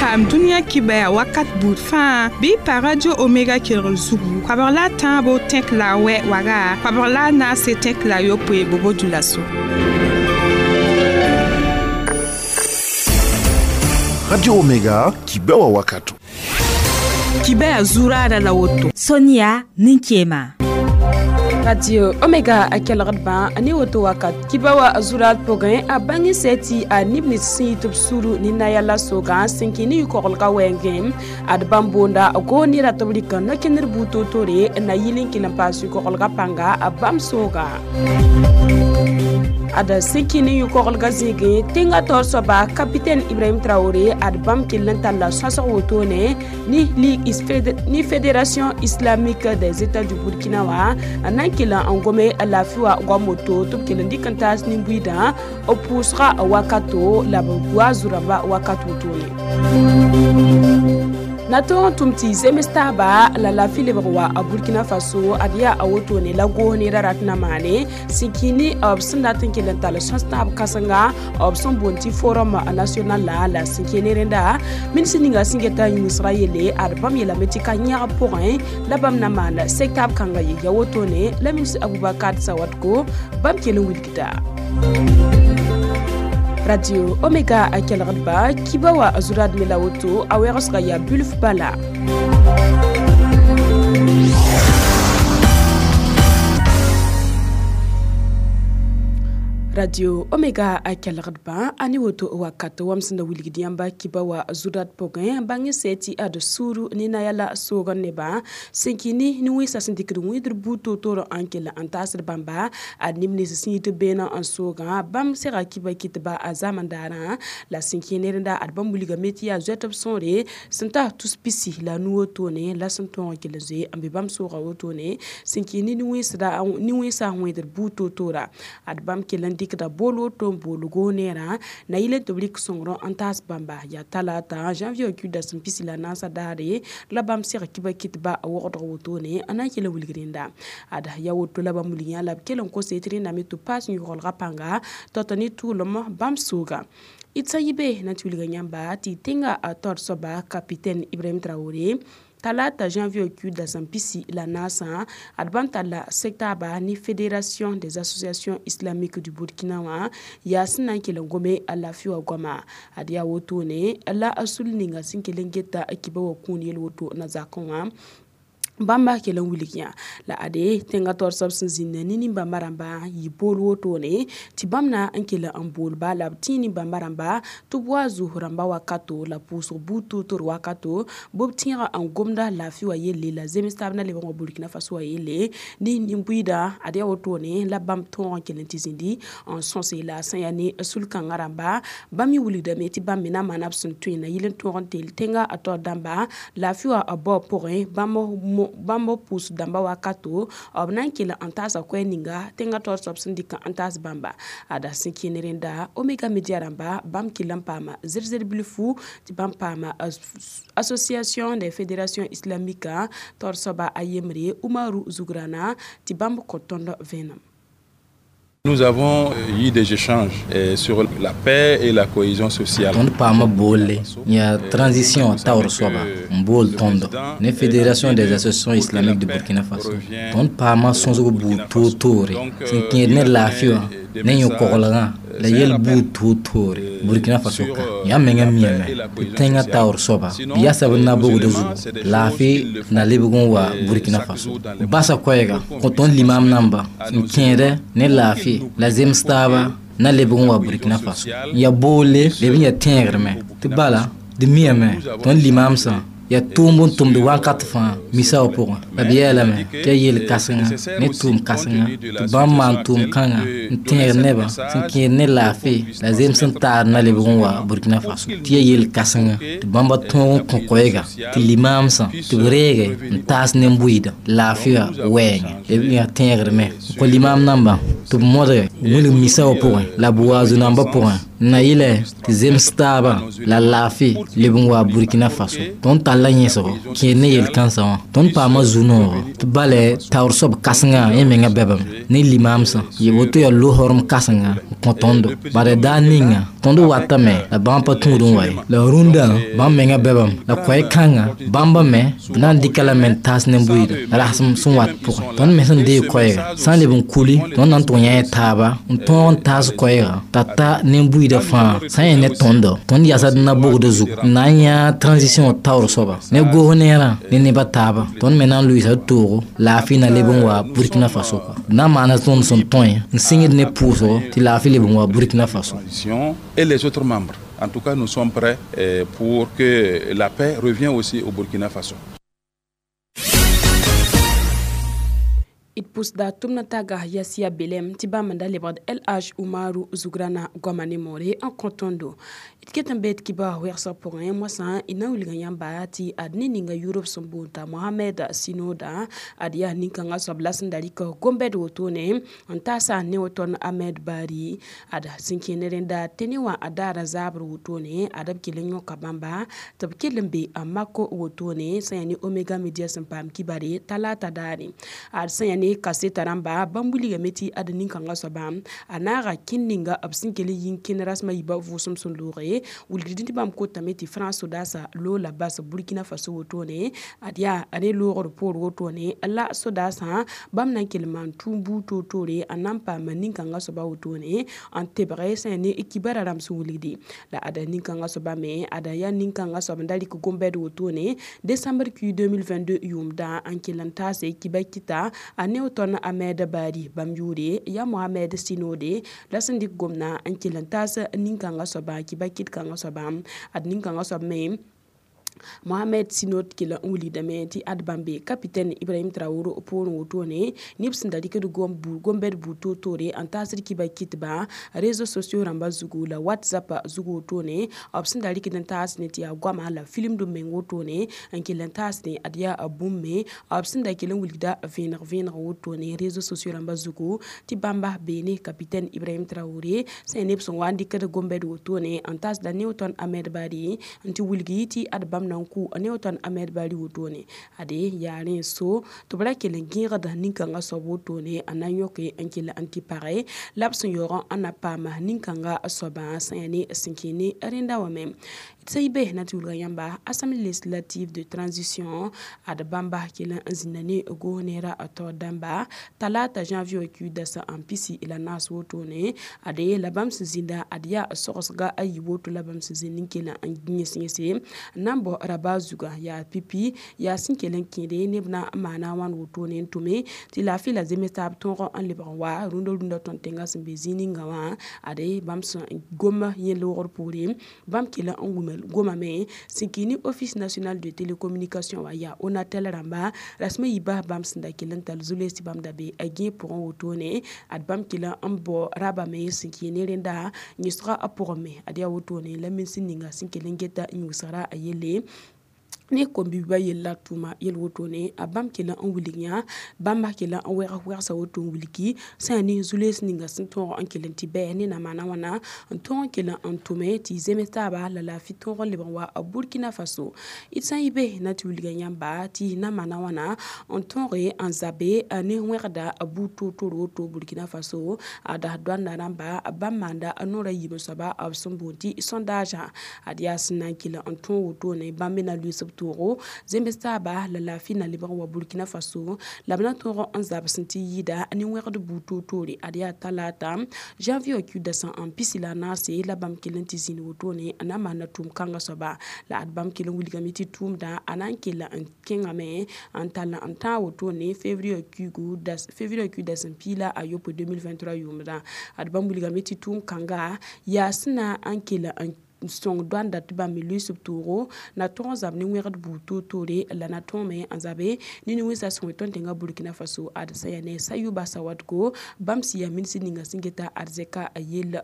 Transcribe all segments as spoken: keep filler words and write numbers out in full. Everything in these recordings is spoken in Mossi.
Paam dũniyã kibaya wakat buud fãa bɩ pa Radio Omega kelgr zugu koabg la a tãabo tẽk la a wɛ waga koabg la a naase tẽk la a yopoe bobo dulaso. Radio Omega kibewa wakato. Kibaya zurada la woto. Sonia Ninkema. Radio Omega a kelgd bã ne woto wakat kiba wa zurat pʋgẽ a bãng sɛ tɩ a neb nins sẽn yɩ tɩ b suru ne naya la sogã sẽn kẽ ne yʋ-koglgã wɛɛngẽ ad bãmb boonda goor ne rat b rɩka no-kẽnder buud toor-toore na yɩl n kell n paas yʋ-koglgã pãnga a bãmb soogã ad sẽn kẽ ne yʋ-koglgã zĩigẽ tẽngã taoor soaba capitaine Ibrahim Traoré ad bãmb kell n talla sõsg wotone ne ligue ne Fédération islamique des États du Burkina wã n na n kell n gome laafɩ wa goam woto tɩ b kell n dɩk n taas nin-buiidã b pʋʋsga wakato la b wa zu-rãmba wakat wotone na tõog n tʋm tɩ zems taaba la laafɩ lebg wa a Burkina Faso ad yaa a wotone la goos ne ra rat na maane sẽn kĩ ne b sẽn dat n kell n tall sõs tãab kãsenga b sẽn boond tɩ Forum national la la sẽn kẽ ne rẽnda ministr ninga sẽn geta yĩngsga yelle ad bãmb yeelame tɩ ka yãgb pʋgẽ la bãmb na maan sek taab kãnga ye ya wotone la ministr Aboubacar Sawadko bãmb kell n wilgda. Radio Omega a kelgd ba kiba wa zurad me la woto a wɛgsga yaa bilf bala. Radio Omega a kelgd ba a ne woto wakat wam sẽn da wilgd yãmba kiba wa zudat pʋgẽ bãng sɛ tɩ ad sũuru ne naya la soogr nebã sẽn kẽ ne nin-wẽnsã sẽn dɩkd wẽedr buud toor-toor n kell n taasd bãmba ad neb nins sẽn yɩ tɩ beene n soogã bãmb sega kiba kɩtba a zamandaarã la sẽn kẽ ne rẽnda ad bãmb wilgame tɩ yaa zoɛtb sõore sẽn ta tus pisi la nu wotone la sẽn tõog n kell n zoe n be bãmb sooga wotone sẽn kẽ ne nin-wẽnsã wẽedr buud toor-toora ad bãmb kell n dɩkda bool woto n bool goos neerã na yɩl n tɩ b rɩk sõngr n taas bãmba yaa talata janvier kuda sẽn pisi la naasã daare la bãmb seg kiba kɩtba a wogdg wotone n na n kell n wilg rẽnda ad ya woto la bãmb wilg yã la b kell n kose tɩ rẽndame tɩ b paas yʋgelgã pãnga tao-tao ne tʋʋlem bãmb sooga d sã yɩ be na tɩ wilga yãmba tɩ tẽngã taoor soaba capitaine Ibrahim Traoré talata janvier kuda sẽn pisi la naasã ad bãmb talla sektaaba ne Fédération des associations islamiques du Burkina wã yaa sẽn na n kell n gome a laafɩ wã goama ad yaa wotone la a sul ninga sẽn kell n geta kiba wa kũun yel woto na zakẽ wã bãmba kell n wilg yã la ade tẽngã taoor soab sẽn zĩnda ne nin-bãmba rãmba yɩ bool wotone tɩ bãmb na n kell n boolba la b tẽ nin-bãmba rãmba tɩ b wa zʋs rãmba wakato la pʋʋsg buud toor-toor wakato bɩ b tẽega n gomda laafɩ wã yelle la zems taab na lebg n wa Burkina Faso wã yelle ne nin-buiidã ad yaa wotone la bãmb tõog n kell n tɩ zĩndi n sõse la a sẽn yaa ne sul-kãngã rãmba bãmb me wilgdame tɩ bãmb me na maana b sẽn tõe na yɩl n tõog n teel tẽngã a taoor dãmba laafɩ wã bao pʋgẽ bãmb bãmb pʋʋs dãmba wakato b na n kell n taasa koɛɛ ninga tẽngã taoor soab sẽn dɩk n taas bãmba ada sẽn kẽ ne rẽnda Omega Media rãmba bãmb kell n paama zer-zer bilfu tɩ bãmb paama Association des fédérations islamiques taoor soaba a yembre Umaru Zugrana tɩ bãmb kõ tõnd vẽenem. Nous avons eu des échanges sur la paix et la cohésion sociale. Tõnd paama boolle yaa transition taoor soaba n bool tõndo ne Fédération des associations islamiques de Burkina Faso tõnd paama sõsg buud toor-toore sẽn kẽed ne laafɩ wã ne yõ-koglgã la yel buud toor-toore Burkina Faso ka yãmb mengã miame tɩ tẽngã taoor soaba b yasa b na-bogdã zugu laafɩ na lebg n wa Burkina Faso basa koɛɛga kõ tõnd limaam namba n kẽedɛ ne laafɩ la zems taaba na lebg n wa Burkina Faso n yaa boolle leb n yaa tẽegrmɛ tɩ bala d miame tõnd limaamsã yaa tʋʋmb n tʋmd wakat fãa misa wã pʋgẽ la b yeelame tɩ yaa yel-kãsenga ne tʋʋm kãsenga tɩ bãmb maan tʋʋm kãngã n tẽeg nebã sẽn kẽed ne laafɩ la zems n taad na lebg n wa Burkina Faso tɩ yaa yel-kãsenga tɩ bãmba tõog n kõ koɛɛga tɩ limaamsã tɩ b reege n taas nen-bʋɩɩda laafɩ wã wɛɛngẽ b yaa tẽegrmɛ n kõ limaam nambã tɩ b modge wilg misa wã pʋgẽ la b wa zu-nambã pʋgẽ Na yɩlɛ tɩ zems taabã la laafɩ leb n wa Burkina Faso. Tõnd talla yẽsgo kẽed ne yel-kãnsã wã. Tõnd paama zu-noogɔ tɩ balɛ taoor soab kãsengã yẽ menga bɛbame ne limaamsã yɩ woto yaa lohorem kãsenga n kõ tõndo. Bala daar ninga tõnd watame la bãmb pa tũud n wa ye. La rũndã bãmb menga bɛbame la koɛɛ-kãngã bãmba me b na n dɩka lame n taas ne buiida rasem sẽn wat pʋgẽ. Tõnd me sẽn deeg koɛɛga sã n leb n kuli tõnd na n tʋg yã taaba n tõog n taas koɛɛga t'a ta nin-buiida fãa sã n yẽ ne tõndo tõnd yasd n na bogda zugu n na n yã transition taoor soaba ne goos neerã ne nebã taaba tõnd me na n lʋɩɩsa d toogo laafɩ na leb n wa Burkina Faso kɔa. D na n maana tõnd sẽn tõe n sɩngd ne pʋʋsgo tɩ laafɩ leb n wa Burkina Faso. Et les autres membres. En tout cas, nous sommes prêts pour que la paix revienne aussi au Burkina Faso. It pusda tumna taga yasia belem ti bamanda lebad L H Umaru Zugrana Gwamane More en kontondo. It ketan bet kiba wersa pour un mois sans ina uliga yamba ti adni ninga Europe sombunta Mohamed Sinoda adia ninkanga sobla sindalika gombed wotone antasa Neoton Ahmed Bari ada sinkinerenda teniwa adara zabru wotone adab kilenyo kabamba tab kilembe amako wotone sayani Omega Media simpam kibare talata dari ad sayani kaseta ramba bambuli meti ad ninkanga soba anara kinninga absinkele yinkin rasma yiba vusum sun lore wulgidindi bam ko tameti France dasa lola bas Burkina Faso wotone adia ane loro por wotone la sodasa bam nan kelman tumbu totore anampa maninkanga soba wotone an tebre sene ekibara ram suwulgidi la ada ninkanga soba me ada ya ninkanga soba ndali ko gombed wotone décembre Q deux mille vingt-deux yumda an kelanta se kibakita Neoton Ahmed Bari Bamjure ya Mohamed Sinode la sindik gomna an kelantas ninkanga soba kibakit kanga soba ad ninkanga soba me Mohamed Sinod kila wuli dame ti ad bambe capitaine Ibrahim Traoré pour wotone nibs ndali ke gombu gombed buto tore an tasir kiba kitba réseaux sociaux ramba zugu la WhatsApp zugu wotone obs ndali ke tas ne ti agwama la film do men wotone an kila tas ne adia abumme obs ndali ke wuli da venir venir wotone réseaux sociaux ramba zugu ti bamba bene capitaine Ibrahim Traoré se nibs wandi ke gombed wotone an tas da Newton Ahmed Bari anti wulgi ti ad bam nanku Newton Ahmed Bari wotone ade yaren so to bra kelen gira da ninkanga so wotone ananyoke ankila anti pare lapsun yoron anapama ninkanga soba sayane sinkini rinda wame tsaibe na tulga yamba Assemblée législative de transition ad bamba kelen zinani gonera ato damba talata janvier ku dasa ampisi ila nas wotone ade labam zinda adia sosga ayi woto labam zinin kelen an ginyese nambo raba zuga ya pipi ya sinkelen kinde nebna mana wan wotone ntume ti la fila zemetab tongo an lebran wa rundo rundo tontenga simbe zininga wa ade bamsa goma yen lor pore bam kila ngumel goma me sinkini Office national de télécommunication wa ya Onatel ramba rasme yiba bam sinda kilan tal zule si bam dabe agin pour wotone ad bam kila ambo raba me sinkini renda nyisra aporme ade wotone la min sininga sinkelen geta nyusara ayele ne kombi ba yella tuma yel wotone a bam kela an wulinya bamba kela an wera wera sa woto wuliki sani zules ninga sin ton an kelen ti be ne na mana wana an ton kela an tume ti zemeta ba la la fi ton le wa Burkina Faso itsan ibe na ti wuliga nyamba ti na mana wana an ton re an zabe ne wera da abu to to to Burkina Faso ada dwanda ramba bamanda anora yibo saba absumbunti sondage adia sinan kela an ton wotone bambe na luis toro zembesta ba la la fina liban wa Burkina Faso la bna toro an zab sinti yida ani werde buto tore adia talata janvier ku dasa en pisila na se la bam kelen ti zin wotone ana mana tum kanga soba la ad bam kelen wuliga miti tum da anan kela an kenga me an tala an ta wotone février ku gu das février ku das pila ayopo deux mille vingt-trois yumda ad bam wuliga miti tum kanga ya sina an kela an song dwanda tiba mi subturo na ton zab ni werd buto tore la na ton me anzabe ni ni wisa song ton tenga Burkina Faso ad sayane sayuba sawadko bamsi ya minsi ninga singeta arzeka ayel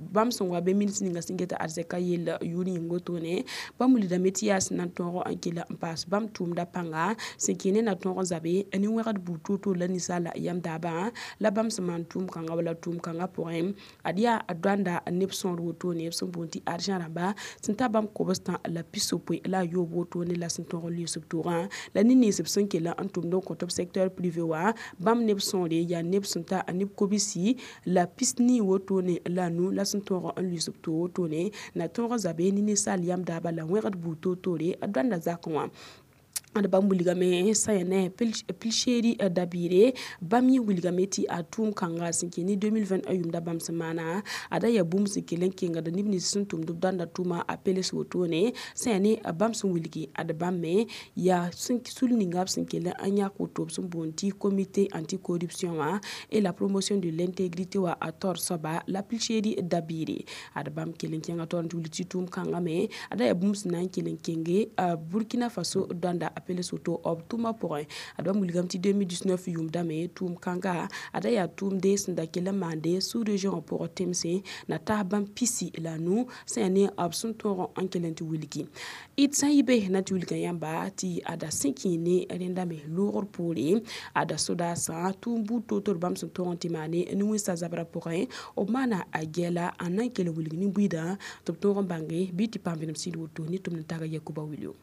Bãmb sẽn wa be ministr ninga sẽn geta arzɛka yella yʋʋr yĩng wotone bãmb wilgdame tɩ yaa sẽn na n tõog n kell n paas bãmb tʋʋmda pãnga sẽn kẽ ne na tõog n zabe ne wẽgd buud toor-toor la ninsaala yam daabã la bãmb sẽn maan tʋʋm kãnga wala tʋʋm kãngã pʋgẽ ad yaa dõanda neb sõor wotone b sẽn boond tɩ argent rãmba sẽn ta bãmb kobstã la pis-yopoe la a yoob wotone la sẽn tõog n lʋɩɩs b toogã la nin-nins b sẽn kell n tʋmd n kõt b secteur privé wã bãmb neb sõore yaa neb sẽn ta neb kobsi la pis-nii wotone la nu la sẽn tõog n lʋɩɩs b toog wotone na tõog n zabe ne ninsaal yam daabã la wẽgd buud toor-toore dõanda zakẽ wã. Ad bãmb wilgame sã yaa ne Pulchérie Dabiré bãmb yẽ wilgame tɩ a tʋʋm kãnga sẽn kẽ ne deux mille vingt yʋʋmda bãmb sẽn maana ada yaa bũmb sẽn kell n kẽngd neb nins sẽn tʋmd b dõanda tʋʋma a peles wotone sã yaa ne bãmb sẽn wilgi ad bãmb me yaa sul ninga b sẽn kell n yãk woto b sẽn boond tɩ comité anticorruption wã et la promotion de l'intégrité wã a taoor soaba la Pulchérie Dabiré ad bãmb kell n kẽnga taoor n tɩ wilg tɩ tʋʋm kãnga me ada yaa bũmb sẽn na n kell n kenge Burkina Faso dõanda peles woto b tʋʋmã pʋgẽ ad bãmb wilgame tɩ deux mille dix-neuf yʋʋmdame tʋʋm kãnga ada yaa tʋʋmde sẽn da kell n maande sous-région pʋgẽ tẽmsẽ na tas bãmb pisi la nu sã yaa ne b sẽn tõog n kell n tɩ wilgi d sã n yɩ be na tɩ wilga yãmba tɩ ada sẽn kẽ ne rẽnda me loogr poore ada sodaasã tʋʋm buud toor-toor bãmb sẽn tõog n tɩ maane ne wẽnsa zabrã pʋgẽ b maana a gɛɛla n na n kell n wilg nin-buiidã tɩ b tõog n bãnge bɩ tɩ paam vẽenem sɩd woto ne tʋmd n taga Yakuba Wilio.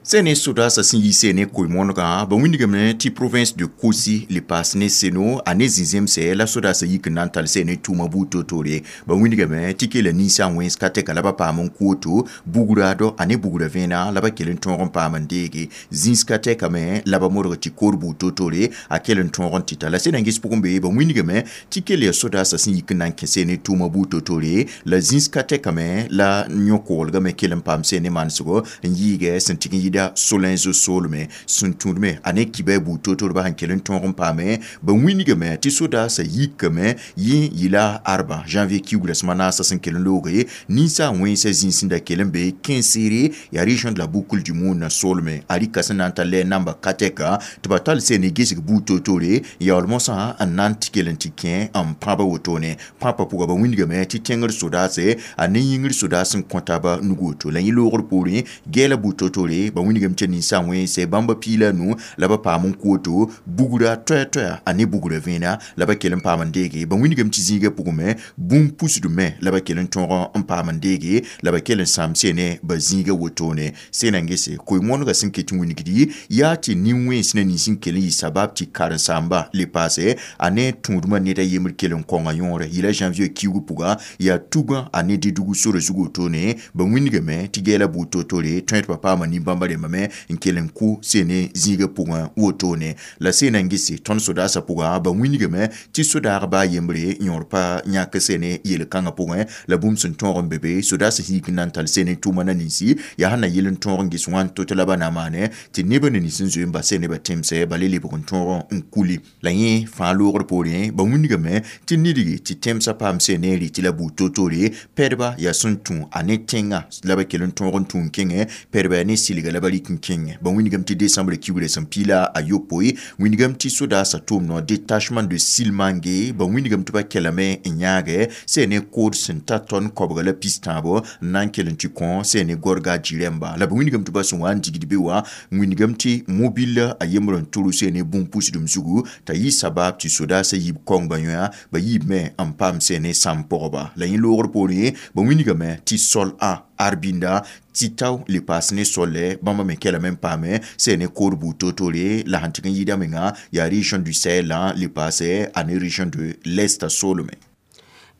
Sene sodaasã sẽn yi sene koe-moonegã ba wĩndgame tɩ province de Kosi le paas ne Seno a ne zĩ-zemsɛ la sodaasã yik n na n tall sene tʋʋma buud toor-toore ba wĩndgame tɩ kela ninsã wẽns ka tɛka la ba paam n koto bugraadɔ a ne bugra vẽena la ba kell n tõog n paam n deege zĩis ka tɛkame la ba modg tɩ koor buud toor-toore a kell n tõog n tɩta la sẽn na n ges pʋgẽ be ba wĩndgame tɩ kell yaa sodaasã sẽn yik n na n kẽ sene tʋʋma buud toor-toore la zĩis ka tɛkame la yõ-koglgame kell n paam sene manesgo n yiigɛ sẽn tɩg n yida solenzo solme sẽn tũudme a ne kibɛ buud toor-toorba sẽn kell n tõog n paame ba wĩndgame tɩ sodaasã yikame yẽ yɩla arba janvier kiugra sẽma naasã sẽn kell n looge ninsã wẽnsã zĩig sẽn da kell n be Kinséré yaa région de la Boucle du Moun solme a rɩka sẽn na n ta lɛ namba ka tɛka tɩ ba tall sene gesg buud toor-toore yaool mosã n na n tɩ kell n tɩ kẽ n pãba wotone pãpã pʋga ba wĩndgame tɩ tẽngr sodaase a ne yĩngr sodaas n kõ taaba nug woto la yẽ loogr poorẽ gɛɛla buud toor-toore ba wĩndgame tɩ ninsã wẽnse bãmba piila nu la ba paam n koto bugra toɛ-toɛa a ne bugra vẽena la ba kell n paam n deege ba wĩndgame tɩ zĩigã pʋgẽ bũmb pusdme la ba kell n tõog n paam n deege la ba kell n sãam sene ba zĩigã wotone sẽn na n gese koe-moonegã sẽn ket n wingdi yaa tɩ nin-wẽns ne nins n kell n yɩ sabab tɩ karen-saamba le paase a ne tũudmã ned a yembr kell n kõnga yõore yɩla janvier kiugu pʋga yaa tugã a ne dɩdg sora zug wotone ba wĩndgame tɩ gɛɛla buud toor-toore tõe tɩ pa paama nin-bãmba rẽmbame n kell n kʋ sene zĩigã pʋgẽ wotone la sẽn na n gese tõnd sodaasã pʋga ba wĩndgame tɩ sodaagba a yembre yõor pa yãk sene yel-kãngã pʋgẽ la bũmb sẽn tõog n be be sodaasã yik n na n tall sene tʋʋma na ninsi yaa sẽn na yɩl n tõog n ges wãn to-to la ba na maane tɩ neb ne nins n zoe n bas nebã tẽmsɛ ba le lebg n tõog n kuli la yẽ fãa loogr poorẽ ba wĩndgame tɩ nidgi tɩ tẽmsã paam sene n rɩ tɩ la buud toor-toore pɛdba yaa sẽn tũ a ne tẽngã la ba kell n tõog n tũ n kẽngẽ pɛdba yaa ne silga la ba rɩk n kẽngẽ ba wĩndgame tɩ décembre kiugrã sẽn piila a yopoe wĩndgame tɩ sodaasã tʋʋm no détachement de Silmangue ba wĩndgame tɩ ba kelame n yãagɛ sene kood sẽn ta tõnd koabga la pis tãabo n na n kell n tɩ kõ sene gorga jirẽmba la ba wĩndgame tɩ ba sẽn wa n digd be wã wĩndgame tɩ mobile a yembr n tʋrg sene bũmb pusdem zugu t'a yɩ sabab tɩ sodaasã yiib kõng ba yõa ba yiibme n paam sene sãm pʋgba la yẽ loogr poorẽ ba wĩndgame tɩ sol a arbinda tɩ tao le paas ne solle bãmba me kelame n paame sene koor buud toor-toore la sẽn tɩg n yɩɩda menga yaa région du Sahel le paase a ne région de l'Est solme.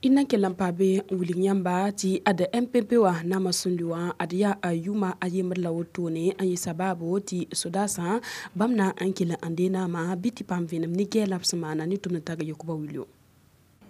I na kell n paa be n wilg yãmba tɩ ad M P P wã naamã sũndi wã ad yaa a yʋʋma a yembr la wotone n yɩ sabaabo tɩ sodaasã bãmb na n kell n dee naamã bɩ tɩ paam vẽenem ne gɛɛla b sẽn maana ne tʋmd n tag Yakuba Wilio.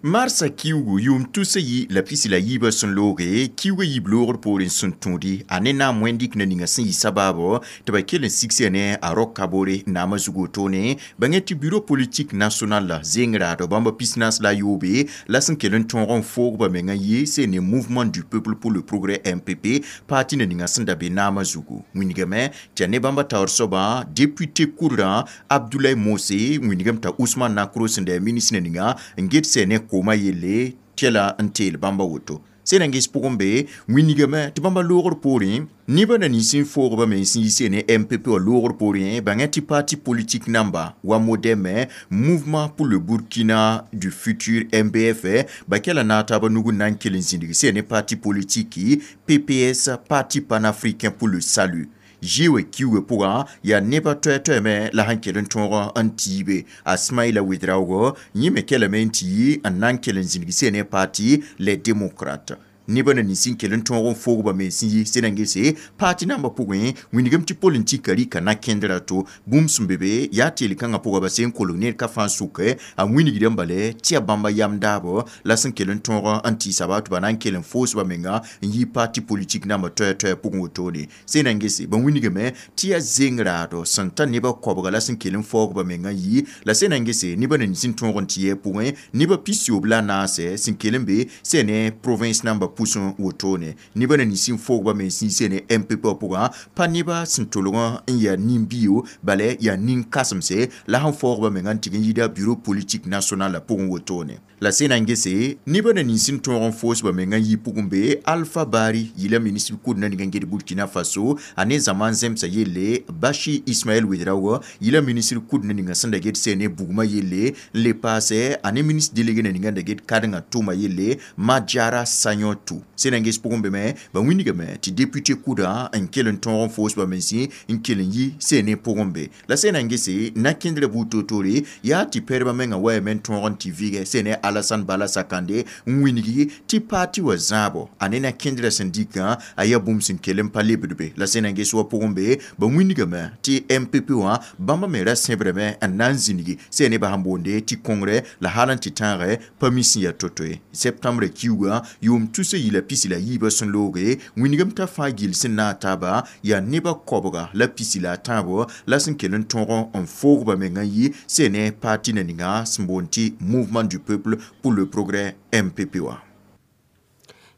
Marsa kiugu yʋʋm tusa yi la pisi la yiibã sẽn looge kiuga yiib loogr poorẽ sẽn tũudi a ne naam wẽn-dɩk na ninga sẽn yɩ sabaabo tɩ ba kell n sigsã ne a Roch Kaboré naamã zug wotone bãngẽ tɩ bureau politique national la zeng raadɔ bãmba pis-naas la a yoobe la sẽn kell n tõog n foog ba mengã yɩ sẽn ne Mouvement du peuple pour le progrès M P P parti na ninga sẽn da be naamã zugu wĩndgame tɩ a ne bãmba taoor soabã député kurrã Abdoulaye Mose wĩndgame t'a Ousmane Nakro sẽn da yaa ministre na ninga n get sɛ ne koma yelle tɩ la n teel bãmba woto sẽn-gɩs pʋgẽ be wĩnigame tɩ bãmba loogr poorẽ nebã na nins n foogba me sẽn yi ne M P P wã loogr poorẽ bãngã tɩ parti politique namba wa MODEM Mouvement pour le Burkina du Futur M B F ba kɛla na taaba nug n na n kell n zĩndg sẽn ne parti politique P P S Parti panafricain pour le salut Jiwe kiwe pʋgã yaa nebã toɛ-toɛ me la sẽn kell n tõog n tiibe a Smaïla Ouedraogo yẽ me kelame n tɩ yi n na n kell n zĩndg sẽn ne parti Les Démocrates nebã na nins n kell n tõog n foogba me sẽn yi sẽn na n gese parti nambã pʋgẽ wĩnigame tɩ politika rɩka na-kẽndrã to bũmb sẽn be be yaa teel kãngã pʋga ba sẽn kolg ned ka fãa sʋke a wĩnigdã bale tɩ yaa bãmba yam daabo la sẽn kell n tõog n tɩɩsa ba tɩ ba na n kell n foosba menga n yi parti politique nambã toɛ-toɛ pʋgẽ wotone sẽn na n gese ba wĩnigame tɩ yaa zeng raado sẽn ta nebã koabga la sẽn kell n faoogba menga yi la sẽn na n gese nebã na nins n tõog n tɩ yɛ pʋgẽ nebã pisiyoob la naase sẽn kell n be sẽn ne province nambã pʋsẽ wotone nebã na nins n foogba me sẽn yi ne M P P pʋgã pa nebã sẽn tolg n yaa nin-bio bala yaa nin-kãsemse la sẽn faoogba menga n tɩg n yida bureau politique national la pʋgẽ wotone la sẽn na n gese nebã na nins n tõog n foosba menga n yi pʋgẽ be Alpha Bari yila ministre kʋd na ning n get Burkina Faso a ne zãma n zemsa yelle Bachi Ismaël Ouedraogo yila ministre kʋd na ninga sẽn da get sẽn ne bugmã yelle n le paase a ne ministre délégué na ninga n da get kadengã tʋʋma yelle Madjara Sagnotou sẽn na n ges pʋgẽ be me ba wĩnigame tɩ député kʋdã n kell n tõog n foosba mensẽ n kell n yi sẽn ne pʋgẽ be la sẽn na n gese na-kẽndrã buud toor-toore yaa tɩ pɛdbã mengã wayame n tõog n tɩ vɩgɛ sẽn ne Alassane Bala Sakande n wĩnigi tɩ paati wã zãabo a ne na-kẽndrã sẽn dikã a yaa bũmb sẽn kell n pa lebd be la sẽn na n ges wa pʋgẽ be ba wĩnigame tɩ M P P wã bãmba me ra sẽbrame n na n zĩnigi sẽn ne ba sẽn boonde tɩ kongrɛ la hal n tɩ tãagɛ pa mi sẽn yaa to-to ye septembre kiuugã yʋʋm tus yila pisi la yiibã sẽn looge wĩnigame t'a fãa gill sẽn na n taaba yaa nebã koabga la pisi la a tãabo la sẽn kell n tõog n foogba menga n yi sẽn ne parti na ninga sẽn boond tɩ Mouvement du peuple pour le progrès M P P wã.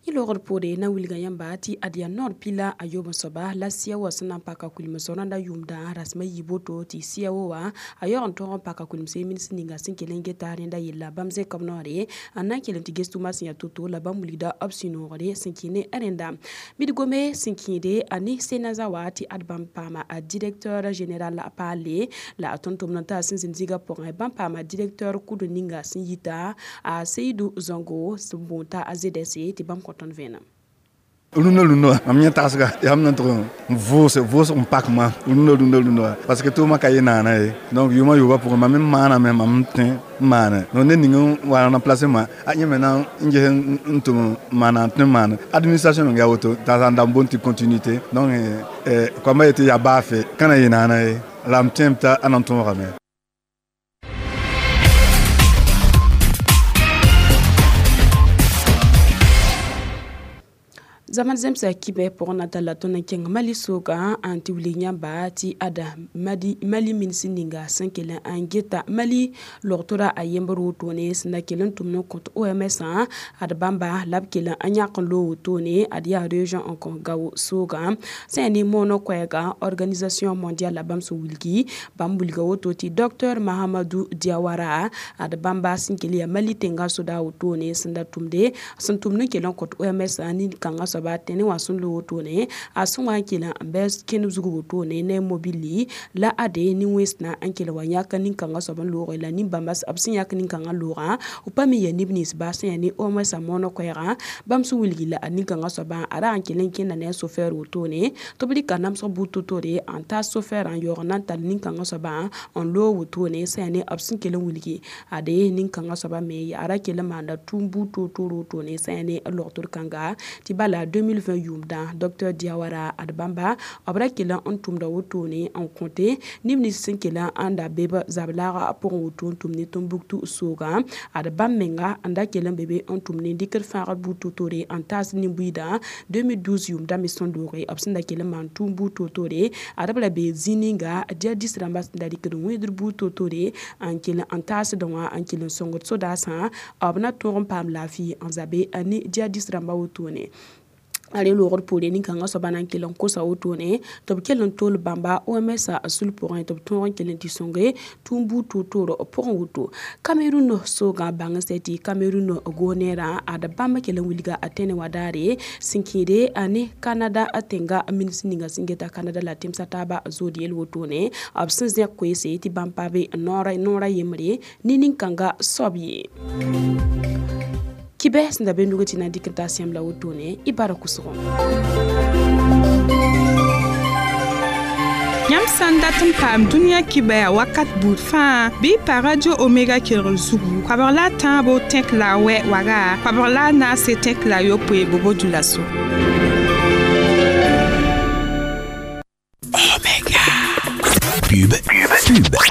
Logr poore na wilga yãmba tɩ ad yaa noor pila a yob n soaba la sɩa wa sẽn na n paka kuilem-sõr rãndã yʋʋmdã rasem a yiib woto tɩ sɩa wo wã a yaoog n tõog n paka kuilemse mins ninga sẽn kell n geta rẽnda yella bãmb zẽk b noore n na n kell n tɩ ges tʋʋma sẽn yaa to-to la bãmb wilgda b sũ-noogre sẽn kẽ ne rẽnda bid-gome sẽn kẽede a ne Senaza wa tɩ ad bãmb paama a directeur général paale la a tõnd-tʋmd n taa sẽn zĩnd zĩigã pʋgẽ bãmb paama directeur kʋd ninga sẽn yita a Seydou Zongo sẽn boond t'a a Z S tɩ bãmb kõ tõnd vẽenem. Rũndã rũndã mam yẽ tagsga yaa m na n tʋg n vʋʋse vʋʋsg n pak maam rũndã rũndã rũndã parce que tʋʋmã ka yɩ naana ye donc yʋʋmã yoobã pʋgẽ mam me maaname mam n tõe n maane donc ned ning n wa n remplacer ma a yẽ me na n ges n tʋm n maana n tõe n maane administration meng yaa woto t'a sã n da n boond tɩ continuité donc koambã yetɩ yaa baafe ka na yɩ naana ye la m tõem t'a na n tõogame. Zaman zemsa kibɛ pʋgẽ na talla tõnd n kẽng Mali soogã n tɩ wilg yãmba tɩ ada Mali, Mali mins ninga sẽn kell n geta Mali logtora a yembr wotone sẽn da kell n tʋm n kõt O M S ad bãmba la b kell n yãk n loog wotone ad yaa région n kõ Gao soogã sẽn yaa ne moonã koɛɛgã organisation mondiale la bãmb sẽn wilgi bãmb wilga woto tɩ docteur Mahamadou Diawara ad bãmba sẽn kell yaa Mali tẽngã soda wotone sẽn da tʋmde sẽn tʋmd n kell n kõt O M S nin-kãngã soaba tẽne wã sẽn loog wotone a sẽn wa n kell n bɩ kẽnd zug wotone ne mobili la ade nin-wẽnsdã n kell wa yãk nin-kãngã soab n looge la nin-bãmba b sẽn yãk nin-kãngã loogã b pa me yaa neb nins baa sẽn yaa ne O M S a moonã koɛɛgã bãmb sẽn wilgi la a nin-kãngã soabã a rag n kell n kẽnda ne a chauffeur wotone tɩ b rɩka namsg buud to-tore n taas chauffeur n yaoog n na n tall nin-kãngã soabã n loog wotone sẽn yaa ne b sẽn kell n wilgi ade nin-kãngã soabã me yaa ra kell n maanda tʋʋm buud toor-toor wotone sẽn yaa ne logtr kãnga tɩ bala deux mille vingt yʋʋmdã docteur Diawara ad bãmba b ra kell n tʋmda wotone n kõte neb nins sẽn kell n da be b zab-laagã pʋgẽ woto n tʋm ne Tombouctou soogã ad bãmb menga n da kell n be be n tʋm ne dɩkd fãagd buud to-tore n taas nin-buiidã deux mille douze yʋʋmdã me sẽn looge b sẽn da kell n maan tʋʋm buud to-tore ad b ra be zĩig ninga djihadis rãmbã sẽn da rɩkd wẽedr buud to-tore n kell n taasdẽ wã n kell n sõngd sodaasã b na tõog n paam laafɩ n zabe ne djihadis rãmbã wotone. A re loogd poore nin-kãngã soaba na n kell n kosa wotone tɩ b kell n tol bãmba O M S sul pʋgẽ tɩ b tõog n kell n tɩ sõnge tũum buud toor-toor pʋgẽ woto. Cameroun soogã bãng sɛ tɩ Cameroun goonɛɛrã ad bãmb kell n wilga a tẽne wã daare sẽn kẽede a ne Canada tẽnga ministr ninga sẽn geta Canada la tẽmsã taaba zood yel wotone b sẽn zẽk koeese tɩ bãmb pa be noora yembre ne nin-kãnga soab ye. Kibɛ sẽn da be nugẽ tɩ na n dɩk n taa sẽm la wotone y bara kʋsgo. Yãmb sã n dat n paam dũniyã kibɛa wakat buud fãa, bɩ y pa Radio Omega kelgr zugu koabg la a tãabo tẽk la a wɛ waga koabg la a naase tẽk la a yopoe bobo dulaso. Omega. Pub, pub, pub.